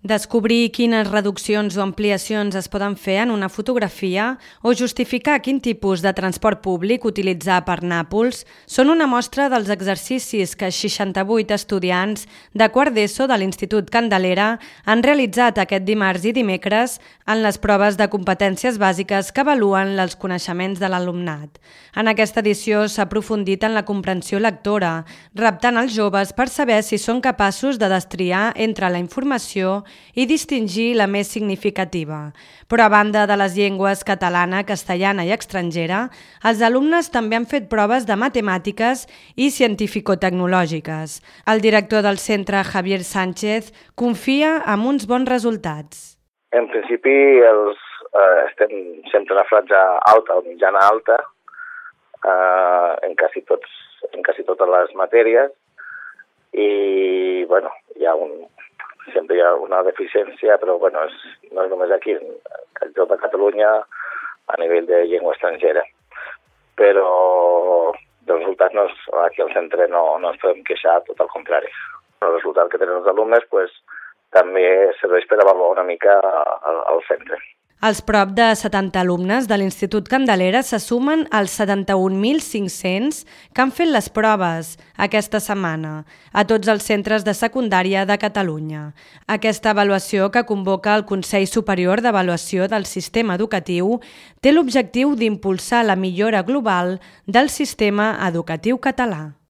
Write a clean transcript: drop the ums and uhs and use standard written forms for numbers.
Descobrir quines reduccions o ampliacions es poden fer en una fotografia o justificar quin tipus de transport públic utilitzar per Nàpols són una mostra dels exercicis que 68 estudiants de quart d'ESO de l'Institut Candelera han realitzat aquest dimarts i dimecres en les proves de competències bàsiques que avaluen els coneixements de l'alumnat. En aquesta edició s'ha aprofundit en la comprensió lectora, reptant els joves per saber si són capaços de destriar entre la informació i distingir la més significativa. Però a banda de les llengües catalana, castellana i estrangera, els alumnes també han fet proves de matemàtiques i científico-tecnològiques. El director del centre, Javier Sánchez, confia en uns bons resultats. En principi estem sempre a la franja alta o mitjana alta en quasi totes les matèries i sempre hi ha una deficiència, però no és només aquí, a tot Catalunya a nivell de llengua estrangera. Però els resultats aquí al centre no ens podem queixar, tot al contrari. El resultat que tenen els alumnes també serveix per avaluar una mica al centre. Els prop de 70 alumnes de l'Institut Candelera se sumen als 71.500 que han fet les proves aquesta setmana a tots els centres de secundària de Catalunya. Aquesta avaluació que convoca el Consell Superior d'Avaluació del Sistema Educatiu té l'objectiu d'impulsar la millora global del sistema educatiu català.